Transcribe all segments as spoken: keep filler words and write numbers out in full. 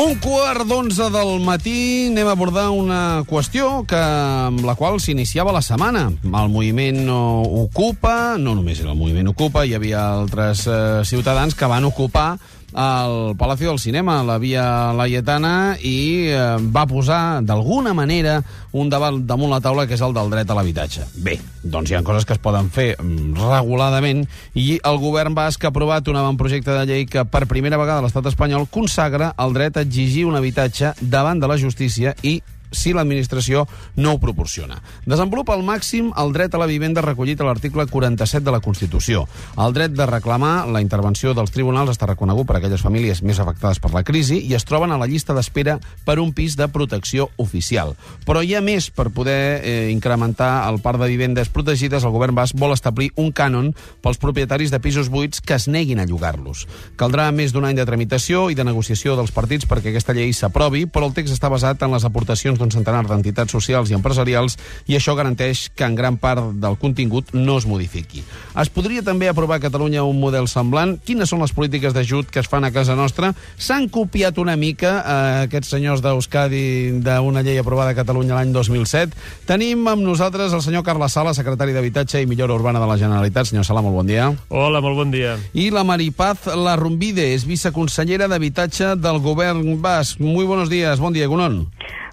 Un quart d'onze del matí anem a abordar una qüestió que, amb la qual s'iniciava la setmana. El moviment Ocupa, no només era el moviment Ocupa, hi havia altres eh, ciutadans que van ocupar al Palacio del Cinema, la Via Laietana, i eh, va posar, d'alguna manera, un debat damunt la taula, que és el del dret a l'habitatge. Bé, doncs hi ha coses que es poden fer reguladament, i el govern basc ha aprovat un avantprojecte de llei que, per primera vegada a l'estat espanyol, consagra el dret a exigir un habitatge davant de la justícia i si l'administració no ho proporciona. Desenvolupa al màxim el dret a la vivenda recollit a l'article quaranta-set de la Constitució. El dret de reclamar la intervenció dels tribunals està reconegut per a aquelles famílies més afectades per la crisi i es troben a la llista d'espera per un pis de protecció oficial. Però hi ha més. Per poder eh, incrementar el parc de vivendes protegides, el govern basc vol establir un cànon pels propietaris de pisos buits que es neguin a llogar-los. Caldrà més d'un any de tramitació i de negociació dels partits perquè aquesta llei s'aprovi, però el text està basat en les aportacions d'un centenar d'entitats socials i empresarials i això garanteix que en gran part del contingut no es modifiqui. Es podria també aprovar a Catalunya un model semblant? Quines són les polítiques d'ajut que es fan a casa nostra? S'han copiat una mica eh, aquests senyors d'Euskadi d'una llei aprovada a Catalunya l'any dos mil set. Tenim amb nosaltres el senyor Carles Sala, secretari d'Habitatge i Millora Urbana de la Generalitat. Senyor Sala, molt bon dia. Hola, molt bon dia. I la Maripaz Larrumbide, és viceconsellera d'Habitatge del govern basc. Muy buenos días. Bon dia, Egunon.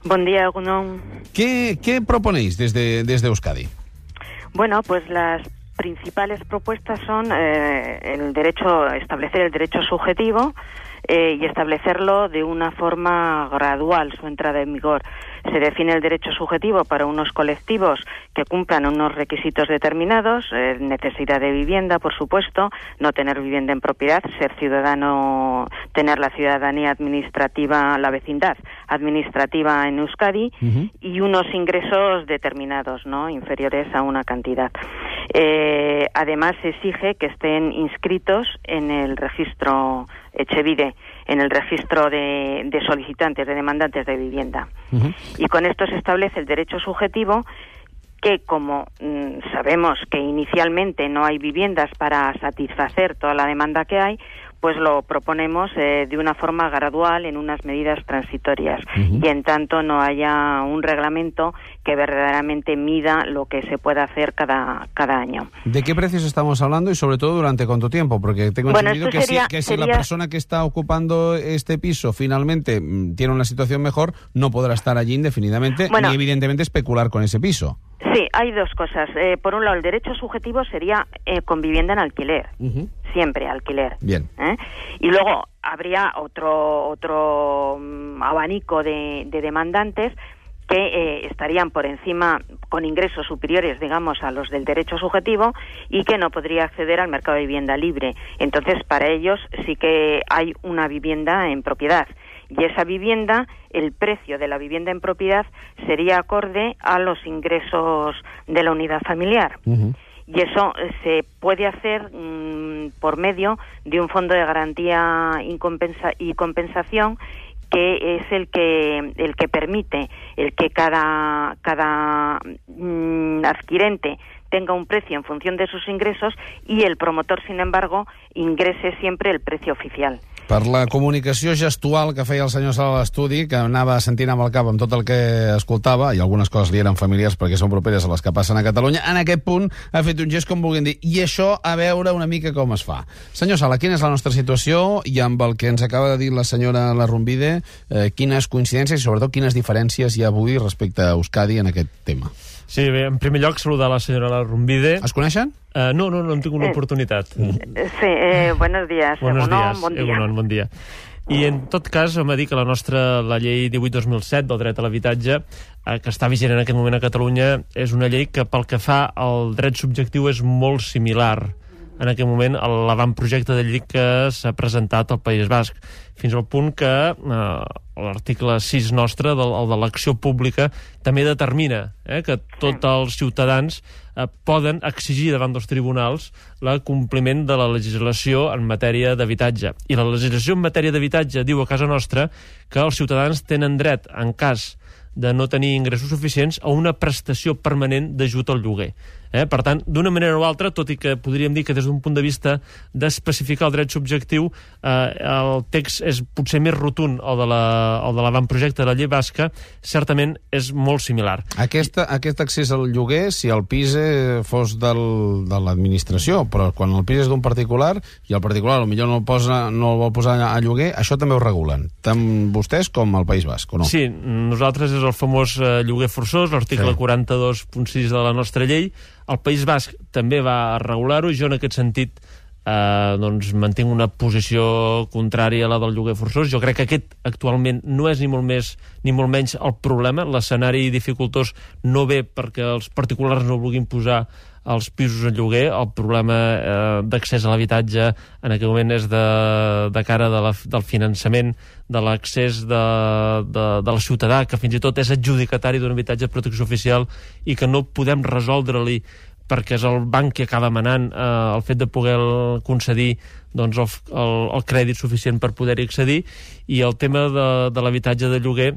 Buen día, Egunon. ¿Qué, qué proponéis desde, desde Euskadi? Bueno, pues las principales propuestas son eh, el derecho, establecer el derecho subjetivo eh, y establecerlo de una forma gradual, su entrada en vigor. Se define el derecho subjetivo para unos colectivos que cumplan unos requisitos determinados, eh, necesidad de vivienda, por supuesto, no tener vivienda en propiedad, ser ciudadano, tener la ciudadanía administrativa, la vecindad administrativa en Euskadi, uh-huh. y unos ingresos determinados, ¿no?, inferiores a una cantidad. Eh, además, se exige que estén inscritos en el registro Etxebide, en el registro de, de solicitantes, de demandantes de vivienda. Uh-huh. Y con esto se establece el derecho subjetivo que, como mmm, sabemos que inicialmente no hay viviendas para satisfacer toda la demanda que hay, pues lo proponemos eh, de una forma gradual en unas medidas transitorias, uh-huh. y en tanto no haya un reglamento que verdaderamente mida lo que se puede hacer cada, cada año. ¿De qué precios estamos hablando y sobre todo durante cuánto tiempo? Porque tengo bueno, entendido que, sería, si, que sería... si la persona que está ocupando este piso finalmente tiene una situación mejor, no podrá estar allí indefinidamente, bueno, ni evidentemente especular con ese piso. Sí, hay dos cosas. Eh, por un lado, el derecho subjetivo sería eh, con vivienda en alquiler, uh-huh. siempre alquiler. Bien. ¿Eh? Y luego habría otro otro um, abanico de, de demandantes que eh, estarían por encima, con ingresos superiores, digamos, a los del derecho subjetivo y que no podría acceder al mercado de vivienda libre. Entonces, para ellos sí que hay una vivienda en propiedad. Y esa vivienda, el precio de la vivienda en propiedad sería acorde a los ingresos de la unidad familiar. Uh-huh. Y eso se puede hacer mmm, por medio de un fondo de garantía y, compensa- y compensación que es el que el que permite el que cada cada mmm, adquirente tenga un precio en función de sus ingresos y el promotor, sin embargo, ingrese siempre el precio oficial. Per la comunicació gestual que feia el senyor Sala a l'estudi, que anava sentint amb el cap amb tot el que escoltava, i algunes coses li eren familiars perquè són properes a les que passen a Catalunya, en aquest punt ha fet un gest com vulguin dir, i això a veure una mica com es fa. Senyor Sala, quina és la nostra situació i amb el que ens acaba de dir la senyora Larrumbide, eh, quines coincidències i sobretot quines diferències hi ha avui respecte a Euskadi en aquest tema? Sí, bé, en primer lloc, saludar la senyora Larrumbide. Es coneixen? Uh, no, no, no hem tingut l'oportunitat. Sí, eh, buenos días. Buenos Egunon, días, bon dia. Egunon, bon dia. I en tot cas, hem de dir que la nostra, la llei divuit dos mil set del dret a l'habitatge, eh, que està vigent en aquest moment a Catalunya, és una llei que pel que fa al dret subjectiu és molt similar en aquest moment a l'avantprojecte de llei que s'ha presentat al País Basc, fins al punt que eh, l'article sis nostre, del, el de l'acció pública, també determina eh, que tots els ciutadans eh, poden exigir davant dels tribunals el compliment de la legislació en matèria d'habitatge. I la legislació en matèria d'habitatge diu a casa nostra que els ciutadans tenen dret, en cas de no tenir ingressos suficients, a una prestació permanent d'ajut al lloguer. Eh? Per tant, d'una manera o altra, tot i que podríem dir que des d'un punt de vista d'especificar el dret subjectiu, eh, el text és potser més rotund el de la, el de l'avantprojecte de la llei basca, certament és molt similar. Aquesta, aquest accés al lloguer, si el pis fos del, de l'administració, però quan el pis és d'un particular i el particular potser no el, posa, no el vol posar a lloguer, això també ho regulen, tant vostès com el País Basc, o no? Sí, nosaltres és el famós eh, lloguer forçós, l'article sí. quaranta-dos punt sis de la nostra llei. El País Basc també va regular-ho, i jo en aquest sentit eh, doncs mantinc una posició contrària a la del lloguer forçós. Jo crec que aquest actualment no és ni molt més ni molt menys el problema. L'escenari dificultós no ve perquè els particulars no vulguin posar els pisos en lloguer. El problema eh, d'accés a l'habitatge en aquest moment és de, de cara de la, del finançament, de l'accés de, de, de la ciutadà, que fins i tot és adjudicatari d'un habitatge de protecció oficial i que no podem resoldre-li perquè és el banc que acaba manant eh, el fet de poder concedir doncs, el, el, el crèdit suficient per poder-hi accedir. I el tema de, de l'habitatge de lloguer,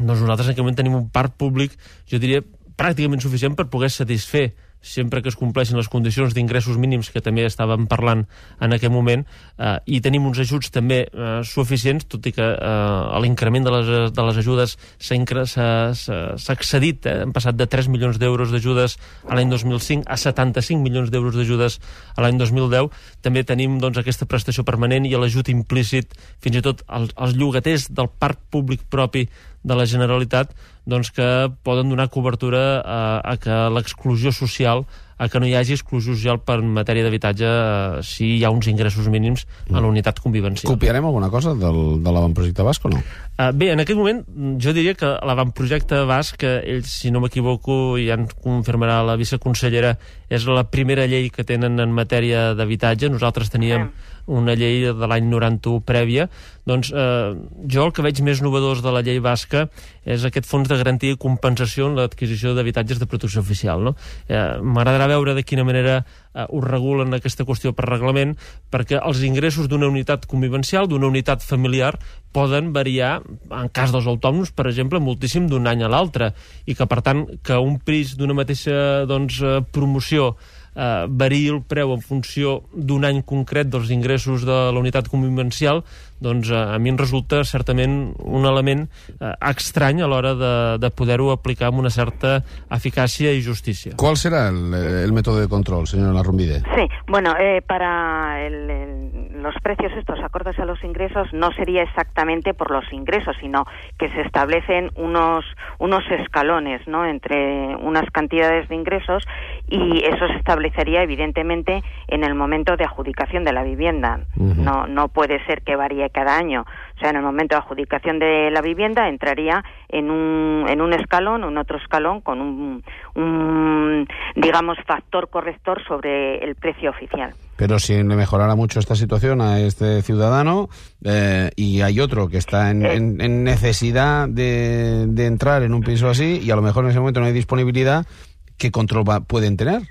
doncs nosaltres en aquest moment tenim un parc públic, jo diria, pràcticament suficient per poder satisfer, sempre que es compleixin les condicions d'ingressos mínims que també estàvem parlant en aquest moment, eh, i tenim uns ajuts també eh, suficients, tot i que eh, l'increment de les, de les ajudes s'ha excedit, eh? Hem passat de tres milions d'euros d'ajudes a l'any dos mil cinc a setanta-cinc milions d'euros d'ajudes a l'any dos mil deu. També tenim doncs, aquesta prestació permanent i l'ajut implícit, fins i tot als, als llogaters del parc públic propi de la Generalitat, doncs que poden donar cobertura a, a que l'exclusió social, a que no hi hagi exclusió social per matèria d'habitatge eh, si hi ha uns ingressos mínims a la unitat convivencial. Copiarem alguna cosa del, de l'avantprojecte basc o no? Uh, bé, en aquest moment jo diria que l'avantprojecte basc, que ells, si no m'equivoco, ja en confirmarà la viceconsellera, és la primera llei que tenen en matèria d'habitatge. Nosaltres teníem una llei de l'any noranta-u prèvia. Doncs eh, jo el que veig més novedós de la llei basca és aquest fons de garantia i compensació en l'adquisició d'habitatges de protecció oficial, no? Eh, M'agradarà veure de quina manera eh, ho regulen aquesta qüestió per reglament, perquè els ingressos d'una unitat convivencial, d'una unitat familiar, poden variar, en cas dels autònoms, per exemple, moltíssim d'un any a l'altre, i que, per tant, que un pis d'una mateixa doncs, promoció eh, variï el preu en funció d'un any concret dels ingressos de la unitat convivencial, doncs eh, a mi em resulta certament un element eh, estrany a l'hora de, de poder-ho aplicar amb una certa eficàcia i justícia. ¿Cuál será el, el método de control, señora Larrumbide? Sí, bueno, eh, para el, el, los precios estos acordes a los ingresos no sería exactamente por los ingresos, sino que se establecen unos, unos escalones, ¿no?, entre unas cantidades de ingresos, y eso se establecería evidentemente en el momento de adjudicación de la vivienda. Uh-huh. No, no puede ser que varíe cada año. O sea, en el momento de adjudicación de la vivienda entraría en un, en un escalón, en otro escalón, con un, un, digamos, factor corrector sobre el precio oficial. Pero si le mejorara mucho esta situación a este ciudadano eh, y hay otro que está en, eh, en, en necesidad de, de entrar en un piso así y a lo mejor en ese momento no hay disponibilidad, ¿qué control va, pueden tener?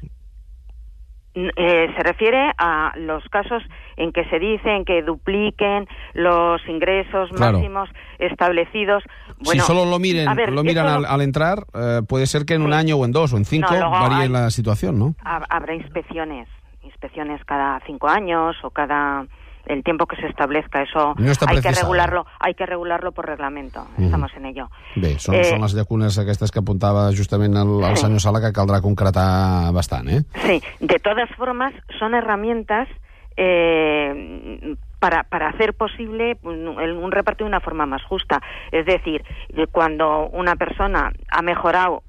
Eh, se refiere a los casos en que se dicen que dupliquen los ingresos claro. máximos establecidos. Bueno, si solo lo miren, ver, lo miran al, al entrar, eh, puede ser que en sí. un año o en dos o en cinco no, varíe hay, la situación, ¿no? Habrá inspecciones, inspecciones cada cinco años o cada el tiempo que se establezca. Eso no está hay que regularlo, hay que regularlo por reglamento. Uh-huh. Estamos en ello. Bé, són, eh, són les llacunes aquestes que apuntava justament el, el sí. senyor Sala, que caldrá concretar bastant, ¿eh? Sí, de todas formas son herramientas eh, para, para hacer posible un, un reparto de una forma más justa. Es decir, cuando una persona ha mejorado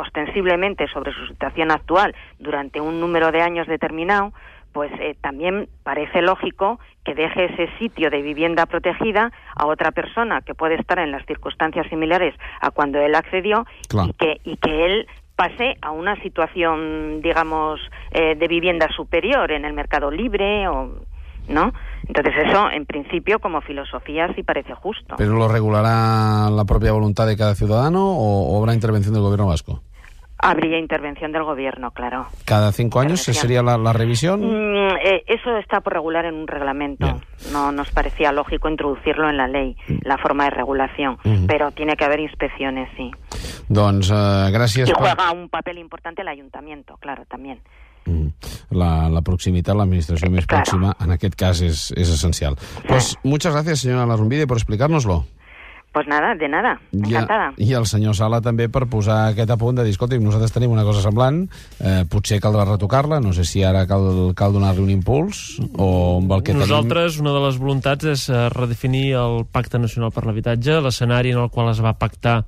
ostensiblemente sobre su situación actual durante un número de años determinado, pues eh, también parece lógico que deje ese sitio de vivienda protegida a otra persona que puede estar en las circunstancias similares a cuando él accedió, claro. y que y que él pase a una situación, digamos, eh, de vivienda superior en el mercado libre, o ¿no? Entonces eso, en principio, como filosofía, sí parece justo. ¿Pero lo regulará la propia voluntad de cada ciudadano o, o habrá intervención del gobierno vasco? Habría intervención del gobierno, claro. ¿Cada cinco años sería la, la revisión? Mm, eh, eso está por regular en un reglamento. Bien. No nos parecía lógico introducirlo en la ley, mm. la forma de regulación, mm-hmm. pero tiene que haber inspecciones, sí. Doncs eh, gràcies... Y per... juega un papel importante el ayuntamiento, claro, también. Mm. La, la proximitat, l'administració més claro. pròxima, en aquest cas és, és essencial. Sí. Pues muchas gracias, señora Larrumbide, por explicárnoslo. Pues nada, de nada, encantada. I, I el senyor Sala també per posar aquest apunt de dir, escolti, nosaltres tenim una cosa semblant, eh, potser caldrà retocar-la, no sé si ara cal, cal donar-li un impuls o amb el que Nosaltres, tenim... una de les voluntats és redefinir el Pacte Nacional per l'Habitatge. L'escenari en el qual es va pactar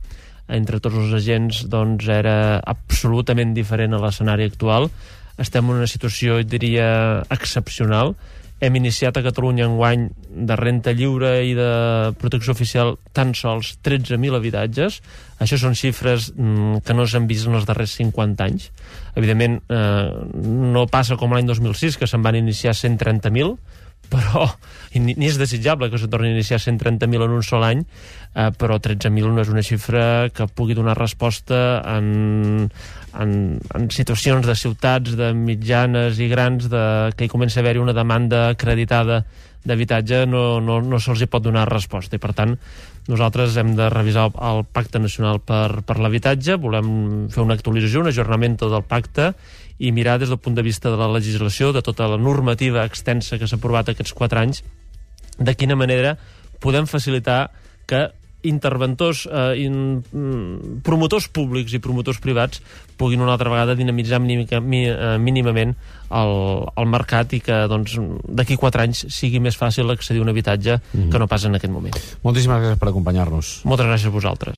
entre tots els agents doncs, era absolutament diferent a l'escenari actual. Estem en una situació, diria, excepcional. Hem iniciat a Catalunya enguany de renta lliure i de protecció oficial tan sols tretze mil habitatges. Això són xifres mm, que no s'han vist en els darrers cinquanta anys. Evidentment, eh, no passa com l'any dos mil sis, que se'n van iniciar cent trenta mil, però ni, ni és desitjable que se torni a iniciar cent trenta mil en un sol any, eh, però tretze mil no és una xifra que pugui donar resposta en, en, en situacions de ciutats, de mitjanes i grans, de, que hi comença a haver-hi una demanda acreditada d'habitatge, no, no, no se'ls hi pot donar resposta. I per tant, nosaltres hem de revisar el, el Pacte Nacional per, per l'Habitatge, volem fer una actualització, un ajornament del pacte i mirar des del punt de vista de la legislació, de tota la normativa extensa que s'ha aprovat aquests quatre anys, de quina manera podem facilitar que interventors, eh, in, promotors públics i promotors privats puguin una altra vegada dinamitzar mínica, mi, eh, mínimament el, el mercat i que doncs, d'aquí quatre anys sigui més fàcil accedir a un habitatge mm-hmm. que no pas en aquest moment. Moltíssimes gràcies per acompanyar-nos. Moltes gràcies a vosaltres.